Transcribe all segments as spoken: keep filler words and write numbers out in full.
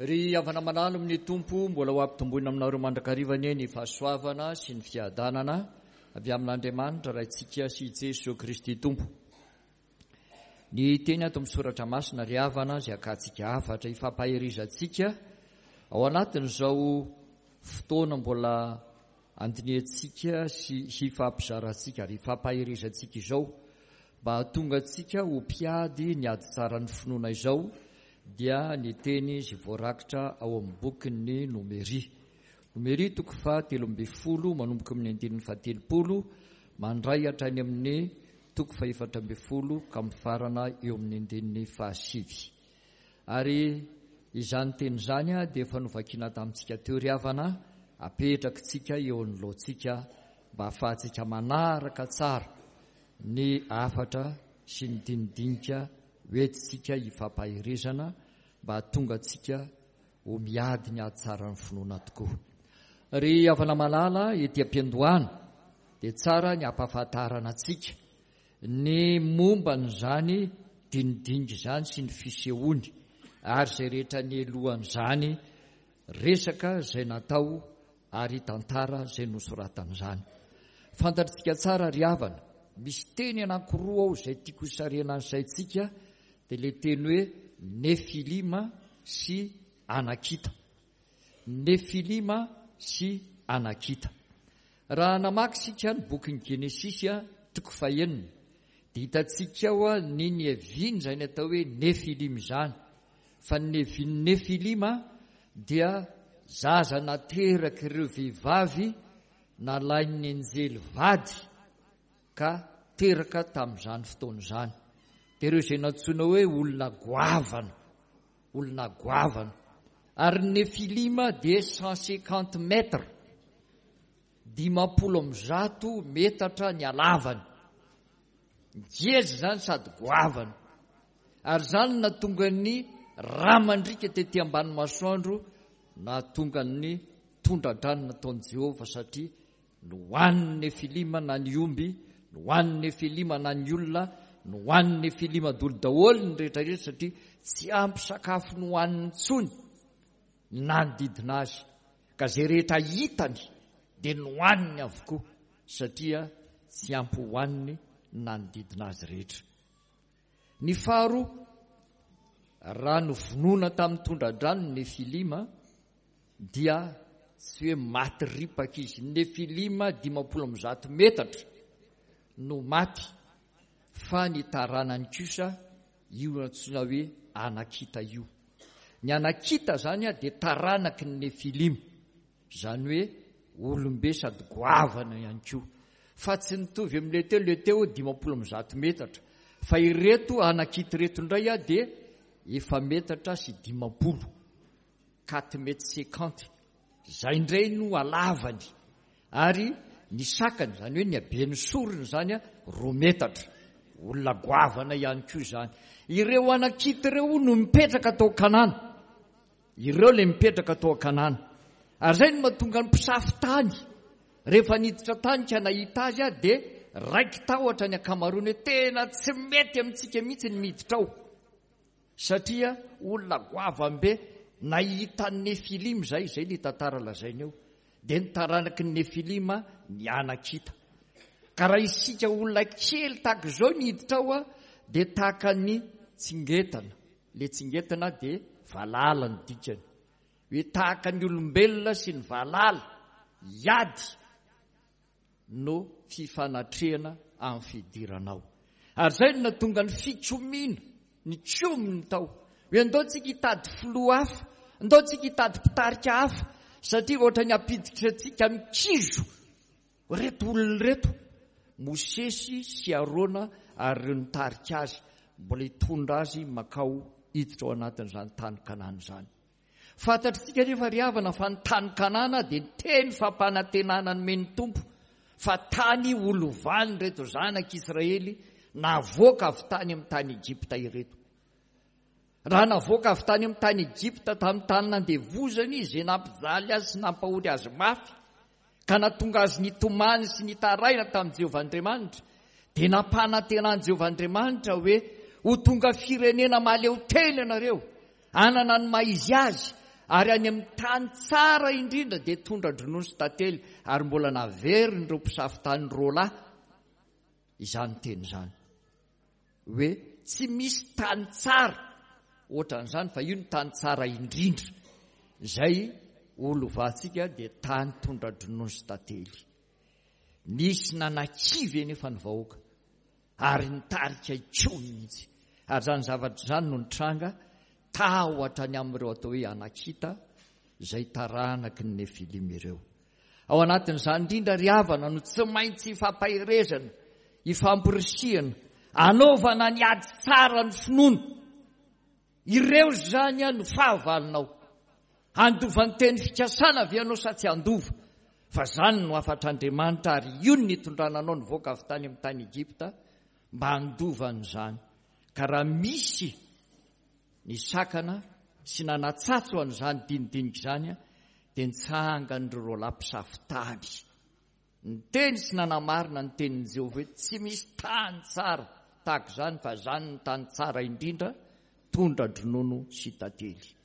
Ry havana malala amin'ny Tompo, mbola ho ampitomboina aminareo mandrakariva anie ny fahasoavana sy ny fiadanana avy amin'Andriamanitra Raintsika sy Jesoa Kristy Tompo. Ny teny ato amin'ny soratra masina ry havana izay akantsika hafatra ifampaherizantsika ao anatin'izao fotoana mbola andinihantsika sy hifampizarantsika ary ifampaherizantsika izao mba hahatonga antsika ho mpiady ny ady tsaran'ny finoana izao dia ny teny izay voarakitra ao amin'ny bokin'ny Nomery. Nomery toko fahatelo ambin'ny folo manomboka amin'ny andininy fahatelopolo mandray hatrany amin'ny toko fahefatra ambin'ny folo ka mifarana eo amin'ny andininy fahasivy. Ary izany teny izany dia efa novakiana tamintsika teo ry havana, apetrakitsika eo anoloantsika mba hahafahantsika manaraka tsara ny hafatra sy ny dinidinika hoentintsika hifampaherezana mba hahatonga antsika ho miady ny ady tsaran'ny finoana tokoa. Ry havana malala, ety am-piandohana dia tsara ny hampahafantarana antsika ny momba an'izany dinidinika izany sy ny fisehoany ary izay rehetra nielohan'izany resaka izay natao ary tantara izay nosoratan'izany. Fantatritsika tsara ry havana, misy teny anankiroa ao izay tiako hisarihana ny saintsika, dia ilay teny hoe Nefilima sy Anakita. Nefilima sy Anakita. Raha namaky isika ny bokin'ny Genesisy toko fahenina, dia hitantsika ao ny niaviany izany atao hoe Nefilima izany. Fa ny niavian'ny Nefilima dia zaza naterak'ireo vehivavy nalain'ny anjely vady ka teraka tamin'izany fotoana izany. Dia ireo izay nantsoina hoe olona goavana, olona goavana. Ary ny Nefilima dia cent cinquante mètres, dimampolo amby zato metatra ny halavany. Ngeza izany sady goavana. Ary izany no nahatonga ny rà mandriaka tety ambany masoandro, nahatonga ny tondra-drano nataon'i Jehovah, satria nohanin'ny Nefilima na ny omby, nohanin'ny Nefilima na ny olona, nohanin'ny Nefilima daholo daholo ny rehetra rehetra, satria tsy ampy sakafo nohaniny intsony ny nanodidina azy. Ka izay rehetra hitany dia nohaniny avokoa, satria tsy ampy hohaniny ny nanodidina azy rehetra. Ny faharoa, raha novonoina tamin'ny tondra-drano ny Nefilima, dia tsy hoe maty ripaka izy. Ny Nefilima dimampolo amby zato metatra no maty, fa ny taranany kosa io antsoina hoe Anakita io. Ny Anakita izany dia taranaky ny Nefilima, izany hoe olombe sady goavana ihany koa. Fa tsy nitovy amin'ilay teo, ilay teo dimampolo amby zato metatra, fa ireto Anakita ireto indray dia efa metatra sy dimampolo, quatre mètres cinquante. Izay indray no halavany. Ary ny sakany, izany hoe ny haben'ny sorony izany, roa metatra. Olona goavana ihany koa izany. Ireo Anakita ireo no mipetraka tao Kanana. Ireo ilay mipetraka tao Kanana. Ary izay no mahatonga ny mpisafo tany. Rehefa niditra tany ka nahita azy aho, dia raiki-tahotra ny ankamaroany hoe tena tsy mety amintsika mihitsy ny miditra ao. Satria olona goavambe nahita ny Nefilima izay, izay ilay tantara lazaina eo. Dia ny taranaky ny Nefilima ny Anakita. Ka raha isika olona kely tahaka izao ny hiditra ao, dia tahaka ny tsingetana. Ilay tsingetana dia valala ny dikany. Hoe tahaka ny olombelona sy ny valala hiady no fifanatrehana amin'ny fidirana ao. Ary izay no nahatonga ny fikomiana, ny kominy tao. Hoe andao tsika hitady filoha hafa, andao tsika hitady mpitarika hafa, satria ohatra ny hampiditra antsika amin'ny kizo ireto olona ireto, Mosesy sy Arona ary ireo nitarika azy, mbola hitondra azy makao hiditra ao anatin'izany tany Kanana izany. Fantatritsika nefa ry havana fa ny tany Kanana dia teny fampanantenana nomen'ny Tompo fa tany holovany ireto zanak'Israely navoaka avy tany amin'ny tany Egypta ireto. Raha navoaka avy tany amin'ny tany Egypta tamin'ny tany nandevozany izy, izay nampijaly azy sy nampahory azy mafy, ka nahatonga azy nitomany sy nitaraina tamin'i Jehovah Andriamanitra, dia nampanantenan'i Jehovah Andriamanitra hoe ho tonga firenena mahaleo tena ianareo, hanana ny maha izy azy, Ary any amin'ny tany tsara indrindra dia tondra-dronono sy tantely, ary mbola naverin'ireo mpisafo tany roa lahy izany teny izany. Hoe tsy misy tany tsara ohatran'izany, fa io ny tany tsara indrindra. Izay ho lovantsika dia tany tondra-dronono sy tantely. Nisy nanakivy anefa ny vahoaka ary nitarika hikomy mihitsy. Ary izany zavatra izany no nitranga tahotra ny amin'ireo atao hoe Anakita izay taranaky ny Nefilima ireo. Ao anatin'izany indrindra ry havana no tsy maintsy ifampaherezana, ifampirisihana, anaovana ny ady tsara ny finoana. Ireo izany no fahavalonao. Handova ny teny fikasana ve ianao sa tsy handova? Fa izany no hafatr'Andriamanitra, ary io no nitondrana anao nivoaka avy tany amin'ny tany Egypta mba handova an'izany. Ka raha misy ny sakana sy nanatsatso an'izany dinidinika izany, dia nitsangan'ireo roalahy mpisafo tany. Niteny sy nanamarina ny tenin'i Jehovah hoe tsy misy tany tsara tahaka izany, fa izany ny tany tsara indrindra, tondra-dronono sy tantely.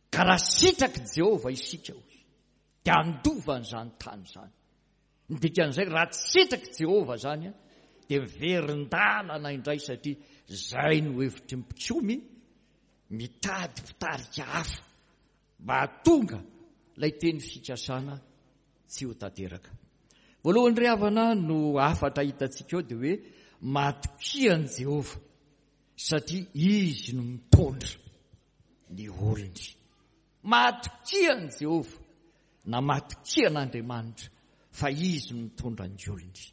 Ka raha sitrak'i Jehovah isika, hoy, dia handova an'izany tany izany. Ny dikan'izay, raha tsy sitrak'i Jehovah izany, dia miverin-dalana indray, satria izay no hevitry ny mpikomy, mitady mpitarika hafa mba hahatonga ilay teny fikasana tsy ho tanteraka. Voalohany ry havana no hafatra hitantsika ao dia hoe matokia an'i Jehovah satria izy no mitondra ny olony. Matokia an'i Jehovah na matokia an'Andriamanitra fa izy no mitondra ny olony.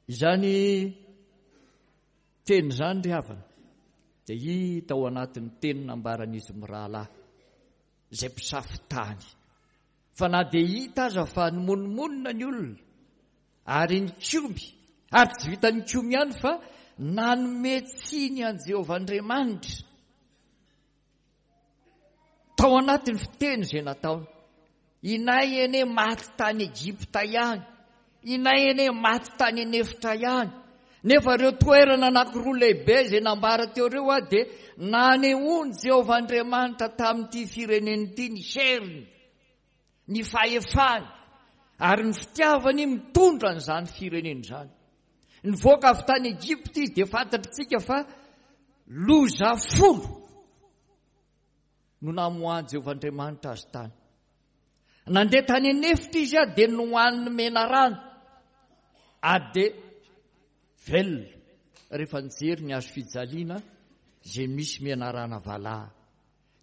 Izany teny izany ry havana dia hita ao anatin'ny teny nambaran'izy mirahalahy izay mpisafo tany. Fa na dia hita aza fa nimonomonona ny olona ary nikomy, ary tsy vita nikomy ihany fa nanome tsiny an'i Jehovah Andriamanitra tao anatin'ny fiteny izay nataony. Inay anie maty tany Egypta ihany, inay anie maty tany an'efitra ihany. Nefa ireo toerana anankiroa lehibe izay nambara teo ireo a dia nanehoan'i Jehovah Andriamanitra tamin'ity firenena ity ny heriny, ny fahefany ary ny fitiavany mitondra an'izany firenena izany. Nivoaka avy tany Egypta izy dia fantatritsika fa loza folo no namoahan'i Jehovah Andriamanitra azy tany. Nandeha tany an'efitra izy a dia nohaniny menarano ary dia velona rehefa nijery ny hazo fijaliana izay misy menarana valaha.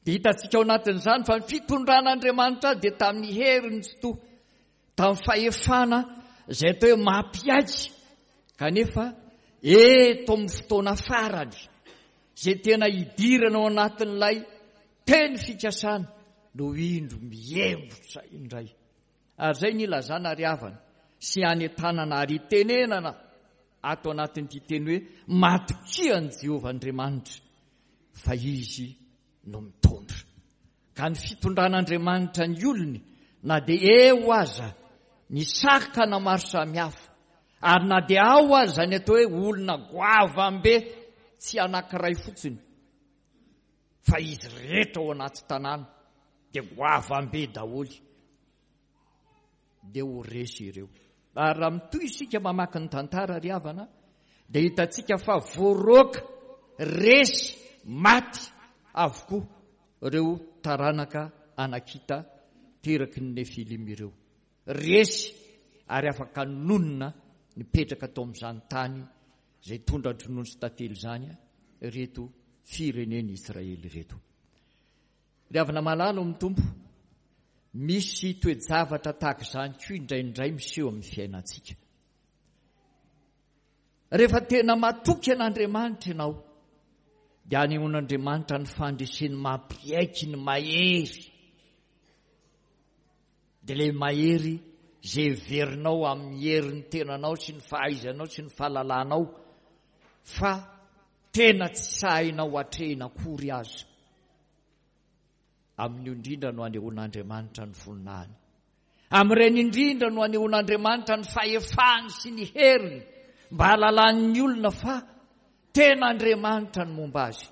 Dia hitantsika ao anatin'izany fa ny fitondran'Andriamanitra dia tamin'ny heriny tsy toa, tamin'ny fahefana izay atao hoe mampiaiky, kanefa eto amin'ny fotoana farany izay tena hidirana ao anatin'ilay teny fikasana no indro mihemotra indray. Ary izay ny ilazana ry havana sy anentanana ary itenenana ato anatin'ity teny hoe matokia an'i Jehovah Andriamanitra fa izy no mitondra. Ka ny fitondran'Andriamanitra ny olony na dia eo aza ny sakana maro samihafa, ary na dia ao aza ny atao hoe olona goavambe tsy anankiray fotsiny fa izy rehetra ao anaty tanàna dia goavambe daholo, dia ho resy ireo. Ary raha mitohy isika mamaky ny tantara ry havana dia hitantsika fa voaroaka, resy, maty avokoa ireo taranaka Anakita teraky ny Nefilima ireo. Resy ary afaka nonina nipetraka tao amin'izany tany izay tondra-dronono sy tantely izany ireto firenen'i Israely ireto. Ry havana malala ao amin'ny Tompo, misy toe-javatra tahaka izany koa indraindray miseho amin'ny fiainantsika. Rehefa tena matoky an'Andriamanitra ianao, dia anehoan'Andriamanitra ny fandreseny mampiaiky ny mahery. Dia ilay mahery izay heverinao amin'ny herin'ny tenanao sy ny fahaizanao sy ny fahalalanao fa tena tsy sahinao atrehina akory aza. Amin'io indrindra no anehoan'Andriamanitra ny voninahiny. Amin'ireny indrindra no anehoan'Andriamanitra ny fahefany sy ny heriny mba hahalalan'ny olona fa tena Andriamanitra ny momba azy.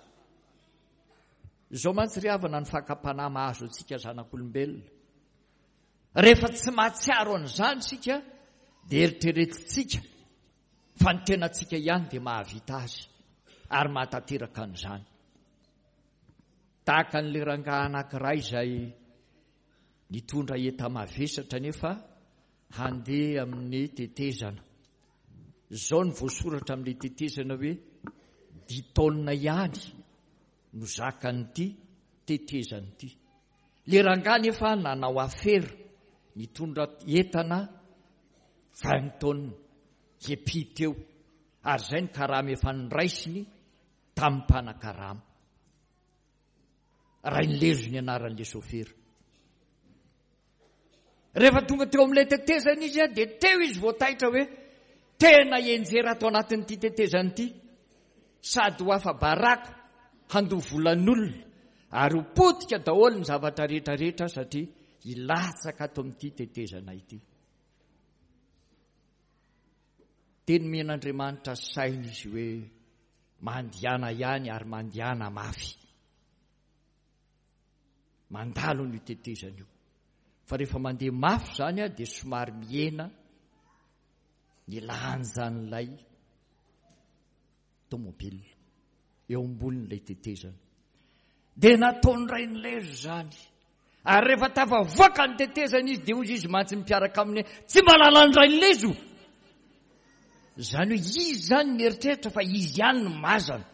Izao mantsy ry havana ny fakam-panahy mahazo antsika zanak'olombelona. Rehefa tsy mahatsiaro an'izany isika dia eritreretintsika fa ny tenantsika ihany dia mahavita azy ary mahatanteraka an'izany. Tahaka an'ilay rangahy anankiray izay nitondra enta-mavesatra nefa handeha amin'ny tetezana. Izao no voasoratra amin'ilay tetezana hoe dix taonina ihany no zakan'ity tetezana ity. Ilay rangahy nefa nanao afera nitondra entana vingt taonina epi teo, ary izay ny karama efa noraisiny tamin'ny mpanakarama. Rainilezo ny anaran'ilay sofera. Rehefa tonga teo amin'ilay tetezana izy dia teo izy voataitra hoe tena enjera ato anatin'ity tetezana ity, sady ho afa-baraka handoa volan'olona ary ho potika daholo ny zavatra rehetrarehetra satria hilatsaka ato amin'ity tetezana ity. Dia nomen'Andriamanitra saina izy hoe mandehana ihany ary mandehana mafy. Mandalo ny tetezana io. Fa rehefa mandeha mafy izany dia somary mihena ny lanjan'ilay tomobile eo ambonin'ilay tetezana. Dia nataony Rainilezo izany. Ary rehefa tafavoaka ny tetezana izy dia hoy izy mantsy mpiaraka aminy tsy mahalala ny Rainilezo. Izany hoe izy izany mieritreritra fa izy ihany no mazana.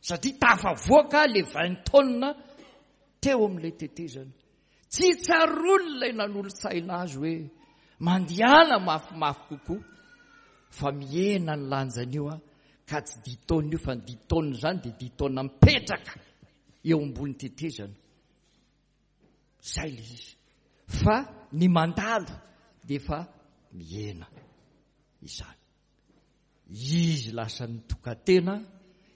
Satria tafavoaka le vingt taonina teo amin'ilay tetezana. Tsy tsaroany ilay nanolo-tsaina azy hoe mandehana mafimafy kokoa fa mihena ny lanjan'io a, ka tsy dix taonina io fa ny dix taonina izany dia dix taonina mipetraka eo ambony tetezana. Izay ilay izy. Fa ny mandalo dia efa mihena izany. Izy lasa nitokatena,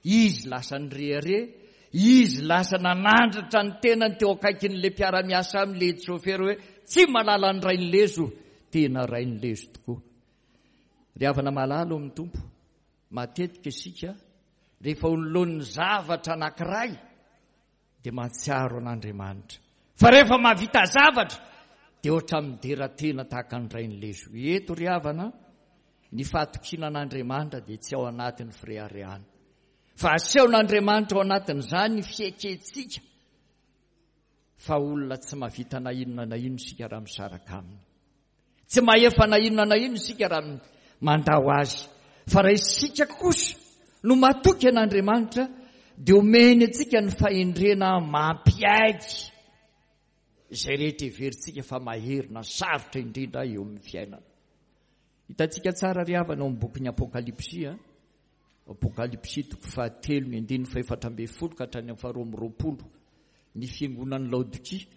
izy lasa nirehareha, izy lasa nanandratra ny tenany teo akaikin'ilay mpiara-miasa aminy, ilay sofera hoe tsy mahalala ny Rainilezo, tena Rainilezo tokoa. Ry havana malala ao amin'ny Tompo, matetika isika rehefa olonolon'ny zavatra anankiray dia mahatsiaro an'Andriamanitra. Fa rehefa mahavita zavatra dia ohatra midera tena tahaka ny Rainilezo. Eto ry havana, ny fahatokiana an'Andriamanitra dia tsy ao anatin'ny fireharehana. Fa asehon'Andriamanitra ao anatin'izany ny fiekentsika fa olona tsy mahavita na inona na inona isika raha misaraka aminy. Tsy mahefa na inona na inona isika raha mandao azy. Fa raha isika kosa no matoky an'Andriamanitra dia omeny antsika ny fahendrena mampiaiky izay rehetra heverintsika fa mahery na sarotra indrindra eo amin'ny fiainana. Hitantsika tsara ry havana ao amin'ny bokin'ny Apokalypsy, a Apokalypsy toko fahatelo ny andininy fahefatra ambin'ny folo ka hatrany amin'ny faharoa amby roapolo, ny fiangonan'ny Laodikia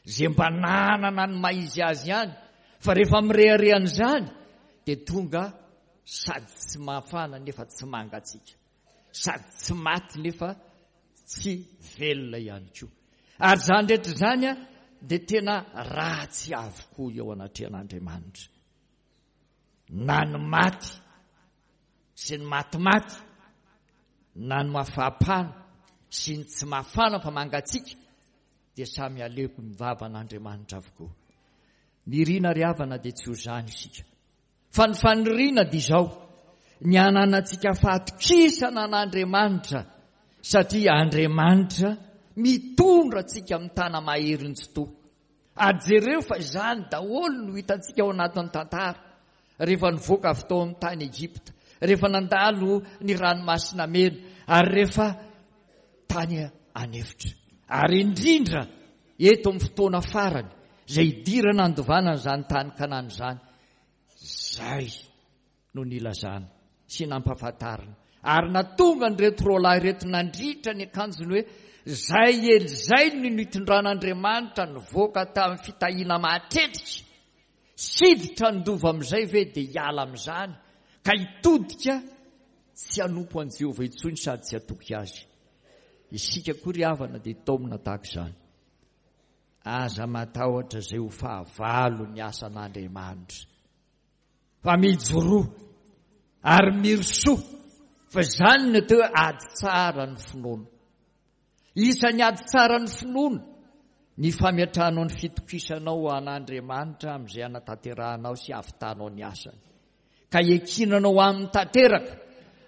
izay mba nanana ny maha izy azy ihany, fa rehefa mireharehan'izany dia tonga sady tsy mafana nefa tsy mangatsiaka, sady tsy maty nefa tsy velona ihany koa. Ary izany rehetra izany a dia tena ratsy avokoa eo anatrehan'Andriamanitra. Na ny maty sy ny matimaty, na ny mafapana sy ny tsy mafana fa mangatsiaka, dia samy aleoko ny vavan'Andriamanitra avokoa. Ny irina ry havana dia tsy ho izany isika. Fa ny faniriana dia izao, ny hananantsika fahatokisana an'Andriamanitra, satria Andriamanitra mitondra antsika amin'ny tana maheriny tsy toa. Ary jereo fa izany daholo no hitantsika ao anatin'ny tantara. Rehefa nivoaka avy tao amin'ny tany Egypta, rehefa nandalo ny ranomasina mena, ary rehefa tany an'efitra. Ary indrindra eto amin'ny fotoana farany izay hidirana andovana an'izany tany Kanana izany, izay no nilazana sy nampahafantarina. Ary natonga an'ireto roalahy ireto nandritra ny akanjony hoe izay ela izay no nitondran'Andriamanitra nivoaka tamin'ny fitahiana mahatretrika, siditra handova amin'izay ve dia hiala amin'izany ka hitodika tsy hanompo an'i Jehovah intsony sady tsy hatoky azy. Isika koa ry havana dia taomina tahaka izany. Aza matahotra izay ho fahavalo ny asan'Andriamanitra, fa mijoroa ary mirosoa, fa izany no atao hoe ady tsara ny finoana. Isan'ny ady tsara ny finoana ny fametrahanao ny fitokisanao an'Andriamanitra amin'izay anatanterahanao sy ahavitanao ny asany. Ka ekinanao aminy tanteraka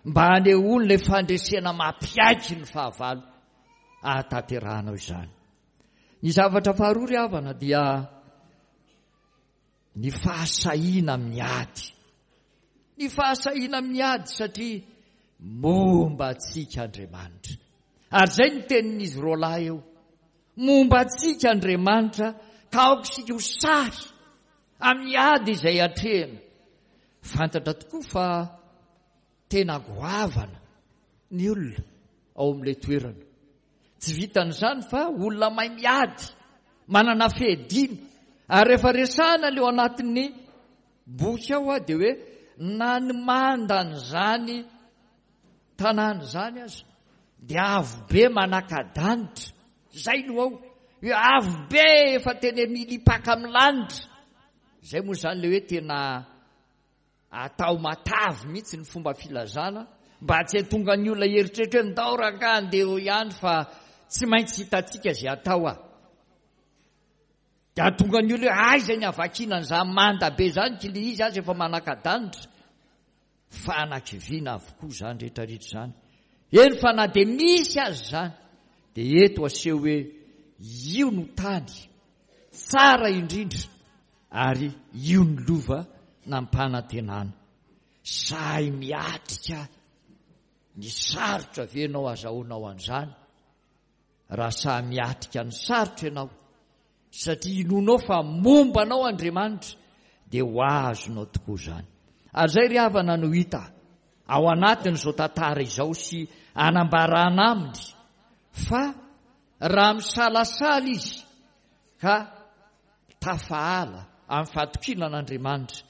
mba hanehoany ilay fandresena mampiaiky ny fahavalo ahatanterahanao izany. Ny zavatra faharoa ry havana dia ny fahasahiana amin'ny ady. Ny fahasahiana amin'ny ady satria momba antsika Andriamanitra. Ary izay ny tenin'izy roalahy eo. Momba antsika Andriamanitra ka aoka isika ho sahy amin'ny ady izay atrehina. Fantatra tokoa fa tena goavana ny olona ao amin'ilay toerana. Tsy vitan'izany fa olona mahay miady, manana fiadiana. Ary rehefa resahana ilay ao anatin'ny boky ao dia hoe na ny mandan'izany tanàna izany aza dia avo be manaka-danitra. Izay no ao. Hoe avo be efa tena milipaka amin'ny lanitra. Izay moa izany ilay hoe tena atao matavy mihitsy ny fomba filazana mba tsy hahatonga ny olona hieritreritra hoe ndao rangahy andeha eo ihany fa tsy maintsy hitantsika izay atao ah. Dia hahatonga ny olona hoe aiza ny havakiana an'izany manda be izany k'ilay izy aza efa manaka-danitra. Fanakiviana avokoa izany rehetrarehetra izany. Eny fa na dia misy aza izany dia eto aseho hoe io no tany tsara indrindra ary io ny lova nampanantenana. Sahy miatrika ny sarotra ve ianao azahoanao an'izany? Raha sahy miatrika ny sarotra ianao satria inoanao fa momba anao Andriamanitra dia ho azonao tokoa izany. Ary izay ry havana no hita ao anatin'izao tantara izao sy anambarana aminy fa raha misalasala izy ka tafahala amin'ny fahatokiana an'Andriamanitra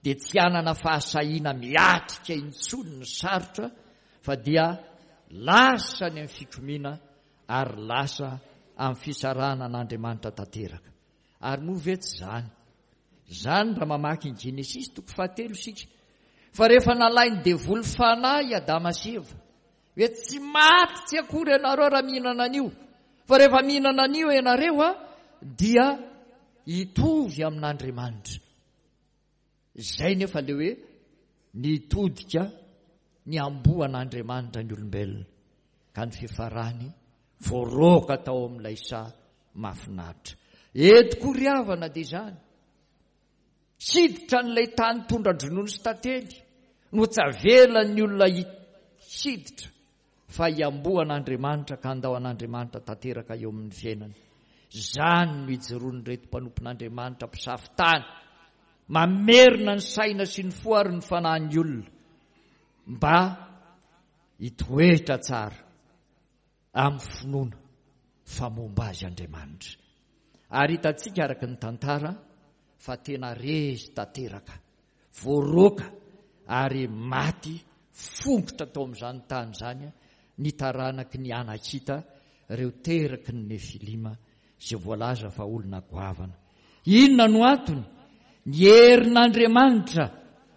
dia tsy hanana fahasahiana miatrika intsony ny sarotra fa dia lasa ny amin'ny fikomiana ary lasa amin'ny fisarahana an'Andriamanitra tanteraka. Ary moa ve tsy izany? Izany raha mamaky ny Genesisy toko fahatelo isika. Fa rehefa nalain'ny devoly fanahy i Adama sy Eva, hoe tsy maty tsy akory ianareo raha mihinana an'io, fa rehefa mihinana an'io ianareo a, dia hitovy amin'Andriamanitra. Izay nefa ilay hoe nitodika niamboho an'Andriamanitra ny olombelona, ka ny fifarany voaroaka tao amin'ilay saha mahafinaritra. Eto koa ry havana dia izany. Hiditra an'ilay tany tondra-dronono sy tantely no tsy avelan'ny olona hiditra fa hiamboho an'Andriamanitra ka handao an'Andriamanitra tanteraka eo amin'ny fiainany. Izany no ijoroan'ireto mpanompon'Andriamanitra mpisafo tany, mamerina ny saina sy ny fo ary ny fanahin'ny olona mba hitoetra tsara amin'ny finoana fa momba azy Andriamanitra. Ary hitantsika araka ny tantara fa tena resy tanteraka, voaroaka ary maty fongotra tao amin'izany tany izany ny taranaky ny Anakita, ireo teraky ny Nefilima izay voalaza fa olona goavana. Inona no antony? Ny herin'Andriamanitra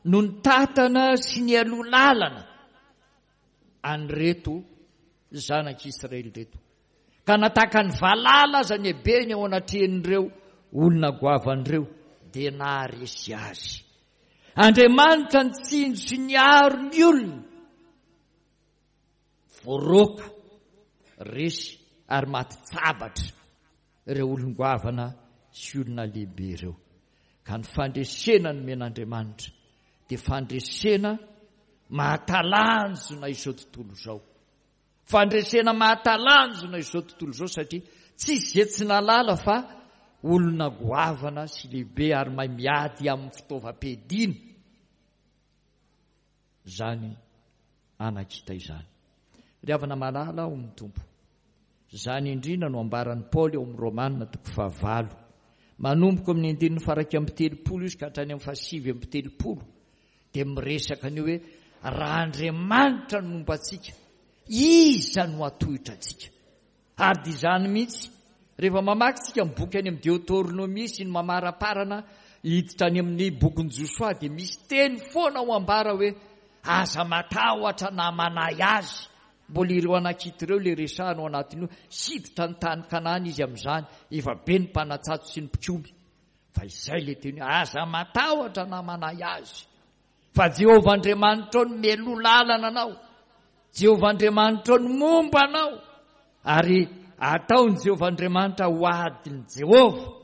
no nitatana sy nialoha lalana an'ireto zanak'Israely ireto. Ka nataka ny valala aza ny habeny eo anatrehan'ireo olona goavan'ireo dia naharesy azy. Andriamanitra nitsinjo sy niaro ny olona. Voaroaka, resy ary maty tsabatra ireo olon-goavana sy olona lehibe ireo. Ka ny fandresena nomen'Andriamanitra dia fandresena mahatalanjona izao tontolo izao. Fandresena mahatalanjona izao tontolo izao satria tsisy izay tsy nahalala fa olona goavana sy lehibe ary mahay miady amin'ny fitaovam-piadiana izany Anakita izany. Ry havana malala ao amin'ny Tompo, izany indrindra no ambaran'i Paoly ao amin'ny Romana toko fahavalo. Manomboka amin'ny andininy faha-iraika amby telopolo izy ka hatrany amin'ny fahasivy amby telopolo dia miresaka an'io hoe raha Andriamanitra no momba antsika, iza no hatohitra antsika? Ary dia izany mihitsy, rehefa mamaky tsika ny boky any amin'ny Deoteronomia sy ny mamaraparana hiditra any amin'ny bokin'i Josoa dia misy teny foana ho ambara hoe aza matahotra na manahy azy Mbola ireo Anakita ireo ilay resahana ao anatin'io. Hiditra ny tany Kanana izy amin'izany, efa be ny mpanatsatso sy ny mpikomy. Fa izay ilay teny hoe, aza matahotra na manahy azy, fa Jehovah Andriamanitrao no mialoha lalana anao, Jehovah Andriamanitrao no momba anao, ary ataon'i Jehovah Andriamanitra ho adin'i Jehovah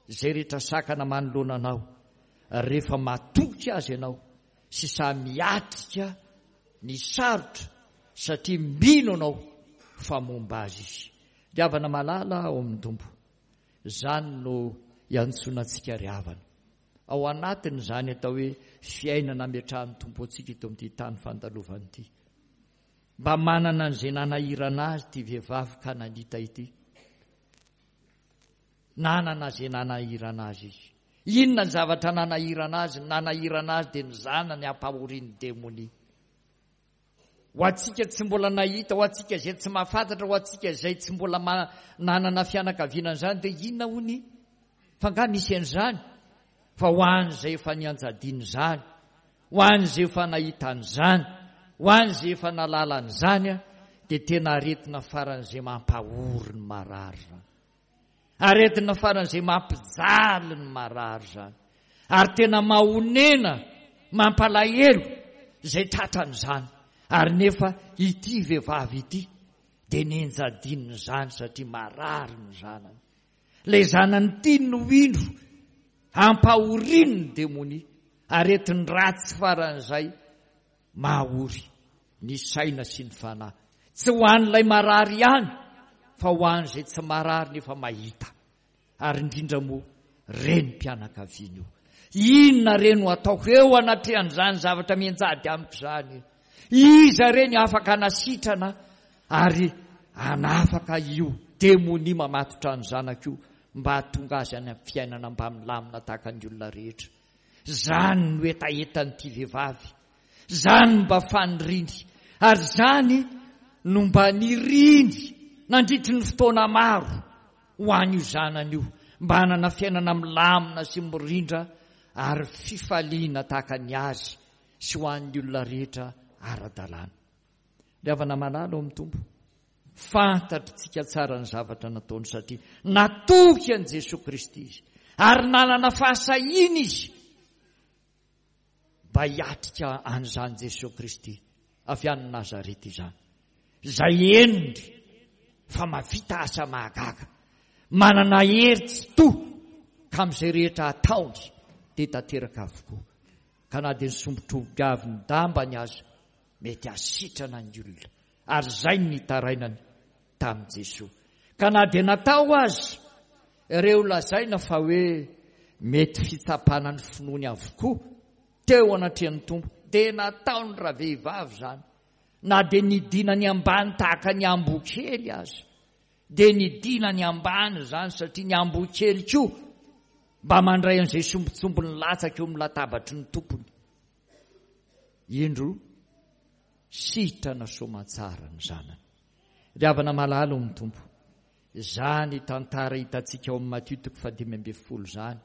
izay rehetra sakana manoloana anao, rehefa matoky azy ianao sy sahy miatrika ny sarotra satria mino anao fa momba azy izy. Ry havana malala ao amin'ny Tompo, izany no iantsoana antsika ry havana. Ao anatin'izany atao hoe fiainana ametrahan'ny Tompo antsika eto amin'ity tany fandalovana ity. Mba manana an'izay nanahirana azy ity vehivavy Kananita ity. Nanana izay nanahirana azy izy. Inona ny zavatra nanahirana azy? Ny nanahirana azy dia ny zanany ampahorian'ny demonia. Ho antsika tsy mbola nahita, ho antsika izay tsy mahafantatra, ho antsika izay tsy mbola nanana fianakaviana an'izany dia inona hono? Fa angaha misy an'izany? Fa ho an'izay efa nianjadian'izany, ho an'izay efa nahita an'izany, ho an'izay efa nahalala an'izany, dia tena aretina faran'izay mampahory ny marary izany. Aretina faran'izay mampijaly ny marary izany. Ary tena mahonena, mampalahelo izay tratran'izany. Ary nefa ity vehivavy ity dia nenjadin'izany satria marary ny zanany. Ilay zanany tiany no indro ampahorian'ny demonia. Aretin-dratsy faran'izay mahory ny saina sy ny fanahy. Tsy ho an'ilay marary ihany fa ho an'izay tsy marary nefa mahita. Ary indrindra moa renim-pianakaviana io. Inona re no ataoko eo anatrehan'izany zavatra mianjady amiko izany? Iza re ny afaka hanasitrana ary hanafaka io demonia mamatotra ny zanako io mba hahatonga azy any amin'ny fiainana mba milamina tahaka ny olona rehetra? Izany no hetahetan'ity vehivavy. Izany no mba faniriany. Ary izany no mba niriny nandritry ny fotoana maro ho an'io zanany io, mba hanana fiainana milamina sy mirindra ary fifaliana tahaka ny azy sy ho an'ny olona rehetra ara-dalàna. Ry havana malala ao amin'ny Tompo, fantatritsika tsara ny zavatra nataony satria natoky an'i Jesoa Kristy izy ary nanana fahasahiana izy mba hiatrika an'izany Jesoa Kristy avy any Nazareta izany, izay henony fa mahavita asa mahagaga, manana hery tsy toha ka amin'izay rehetra ataony dia tanteraka avokoa, ka na dia ny sombin-trobikavy ny dambany aza mety hasitrana ny olona, ary izay no nitarainany tamin'i Jesoa. Ka na dia natao aza ireo lazaina fa hoe mety fitsapana ny finoany avokoa teo anatrehan'ny Tompo, dia nataony ravehivavy izany, na dia nidinany ambany tahaka ny ambokely aza, dia nidinany ambany izany, satria ny ambokely koa mba mandray an'izay sombintsombiny latsaka eo amin'ny latabatry ny tompony. Indro sitrana soamantsara ny zanany. Ry havana malala ao amin'ny Tompo, izany tantara hitantsika ao amin'ny Matio toko fahadimy ambin'ny folo izany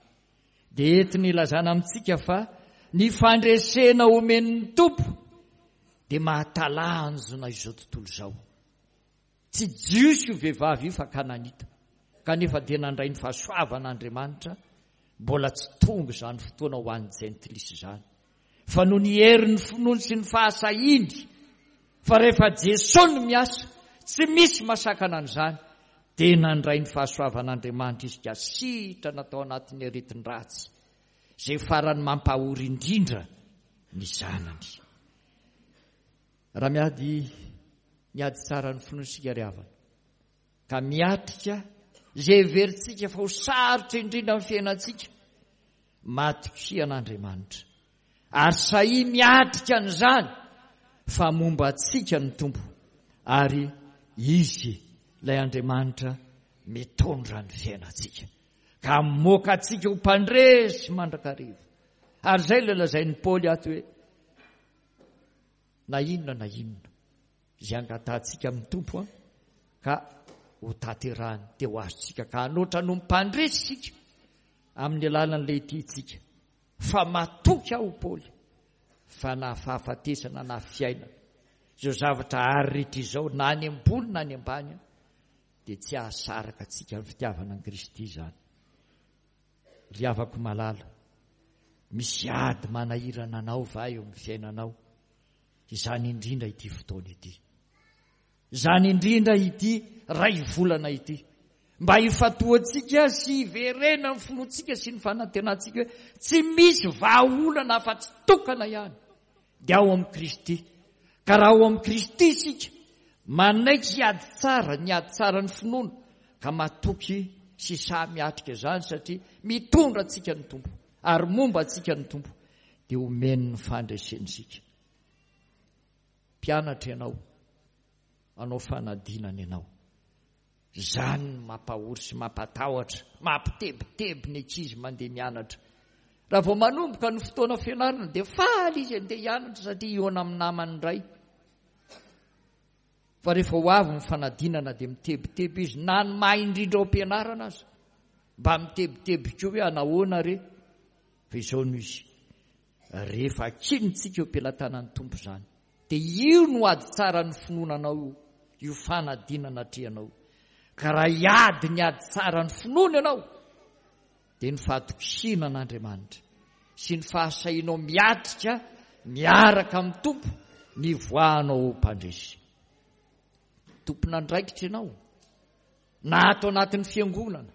dia entiny ilazana amintsika fa ny fandresena omen'ny Tompo dia mahatalanjona izao tontolo izao. Tsy Jiosy io vehivavy io fa Kananita, kanefa dia nandray ny fahasoavan'Andriamanitra. Mbola tsy tonga izany fotoana ho an'ny jentilisa izany, fa noho ny herin'ny finoany sy ny fahasahiany, fa rehefa Jesoa no miasa, tsy misy masakana an'izany, dia nandray ny fahasoavan'Andriamanitra izy ka sitrana tao anatin'ny aretin-dratsy, izay farany mampahory indrindra ny zanany. Raha miady ny ady tsara ny finoana isika ry havana, ka miatrika izay heverintsika fa ho sarotra indrindra amin'ny fiainantsika, matokia an'Andriamanitra ary sahia miatrika an'izany fa momba antsika ny Tompo ary Izy ilay Andriamanitra mitondra ny fiainantsika ka hamoaka antsika ho mpandresy mandrakariva. Ary izay ilay lazain'i Paoly ato hoe na inona na inona izay angatahantsika amin'ny Tompo ka ho tanterahany dia ho azontsika ka hanoatra no mpandresy isika amin'ny alalan'ilay tiantsika. Fa matoky aho Paoly fa na fahafatesana na fiainana Izao zavatra àry rehetra izao, na any ambony na any ambany, dia tsy hahasaraka antsika amin'ny fitiavana an'i Kristy izany. Ry havako malala, misy ady manahirana anao va eo amin'ny fiainanao? Izany indrindra ity fotoana ity. Izany indrindra ity ray volana ity. Mba hifantohantsika sy hiverenan'ny finoantsika sy ny fanantenantsika hoe tsy misy vahaolana afa-tsy tokana ihany, dia ao amin'i Kristy. Ka raha ao amin'i Kristy isika, manaiky hiady tsara, ny ady tsara ny finoana, ka matoky sy sahy miatrika izany satria mitondra antsika ny Tompo ary momba antsika ny Tompo, dia omeny ny fandresena isika. Mpianatra ianao, hanao fanadinana ianao. Izany no mampahory sy mampatahotra, mampitebiteby ny ankizy mandeha mianatra. Raha vao manomboka ny fotoana fianarana dia faly izy handeha hianatra satria hihaona amin'ny namany indray. Fa rehefa ho avy ny fanadinana dia mitebiteby izy, na ny mahay indrindra ao am-pianarana aza. Mba mitebiteby koa hoe anahoana re? Fa izao no izy, rehefa akinintsika eo am-pelatanan'ny Tompo izany, dia io no ady tsara ny finoana anao io, io fanadinana atrehanao io. Ka raha hiady ny ady tsara ny finoana ianao, dia ny fahatokiana an'Andriamanitra sy ny fahasahianao miatrika miaraka amin'ny Tompo ny hivoahanao ho mpandresy. Tompon'andraikitra ianao, na ato anatin'ny fiangonana,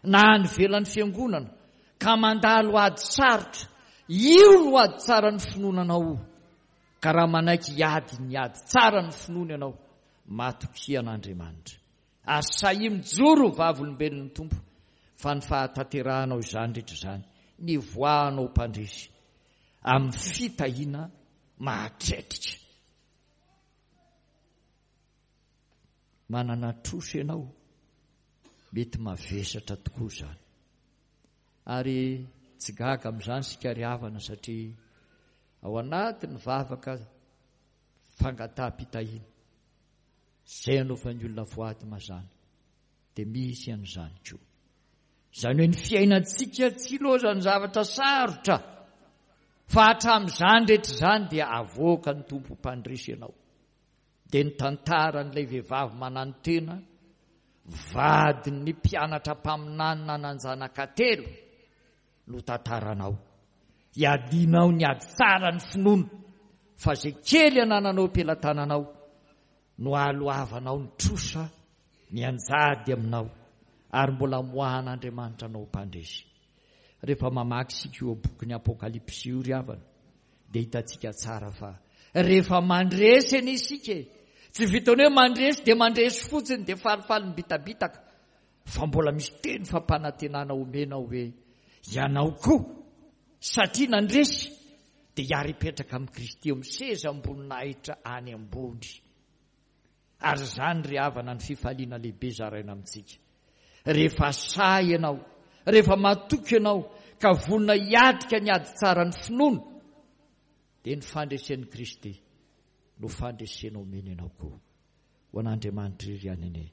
na any ivelan'ny fiangonana, ka mandalo ady sarotra. Io no ady tsara ny finoana anao io. Ka raha manaiky hiady ny ady tsara ny finoana ianao, matokia an'Andriamanitra. Ary sahia mijoro ho vavolombelon'ny Tompo fa ny fahatanterahanao izany rehetra izany, ny hivoahanao mpandresy amin'ny fitahiana mahatretrika. Manana trosa ianao, mety mavesatra tokoa izany. Ary tsy gaga amin'izany isika ry havana satria ao anatin'ny vavaka fangataham-pitahiana izay anaovan'ny olona voady mazàna dia misy an'izany koa. Izany hoe ny fiainantsika tsy ilaozan'ny zavatra sarotra fa hatramin'izany rehetra izany dia avoakan'ny Tompo mpandresy ianao. Dia ny tantaran'ilay vehivavy mananotena, vadin'ny mpianatra mpaminany nanan-janaka telo no tantaranao. Iadianao ny ady tsara ny finoana fa izay kely anananao am-pelatananao no ahaloavanao ny trosa mianjady aminao ary mbola amoahan'Andriamanitra anao mpandresy. Rehefa mamaky isika io bokin'ny Apokalypsy io ry havana dia hitantsika tsara fa rehefa mandresy anie isika e, tsy vitan'ny hoe mandresy dia mandresy fotsiny dia falifaly mibitabitaka fa mbola misy teny fampanantenana omena hoe ianao koa satria nandresy dia hiara-hipetraka amin'i Kristy eo amin'ny sezam-boninahitra any ambony. Ary izany ry havana ny fifaliana lehibe zaraina amintsika. Rehefa sahy ianao, rehefa matoky ianao ka vonona hiatrika ny ady tsara ny finoana, dia ny fandresen'i Kristy no fandresena omeny anao koa. Ho an'Andriamanitra irery ihany anie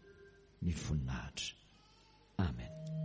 ny voninahitra. Amen.